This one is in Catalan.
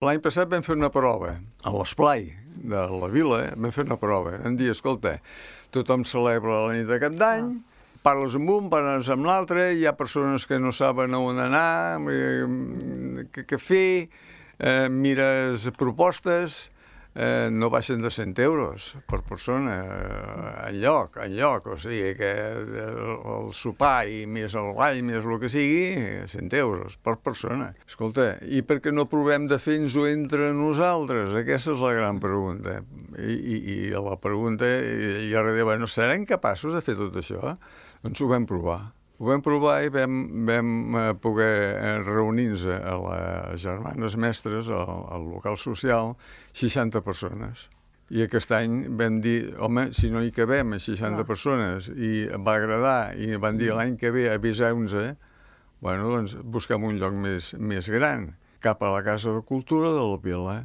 L'any passat vam fer una prova a l'esplai de la vila, vam fer una prova. Vam dir, escolta, tothom celebra la nit de Cap d'Any, parles amb un, parles amb l'altre, hi ha persones que no saben on anar, què fer, mires propostes, no baixen de 100 euros per persona, enlloc, o sigui que el sopar i més el ball, més el que sigui, 100 euros per persona. Escolta, i per què no provem de fer-nos-ho entre nosaltres? Aquesta és la gran pregunta. I la pregunta, i ara diu, bueno, serem capaços de fer tot això? Doncs ho vam provar. Ho vam provar i vam poder reunir-nos a les Germanes Mestres, al local social, 60 persones. I aquest any vam dir, home, si no hi cabem a 60 persones, i va agradar, i van dir l'any que ve aviseu-nos, bueno, doncs busquem un lloc més gran, cap a la Casa de Cultura de la Vila.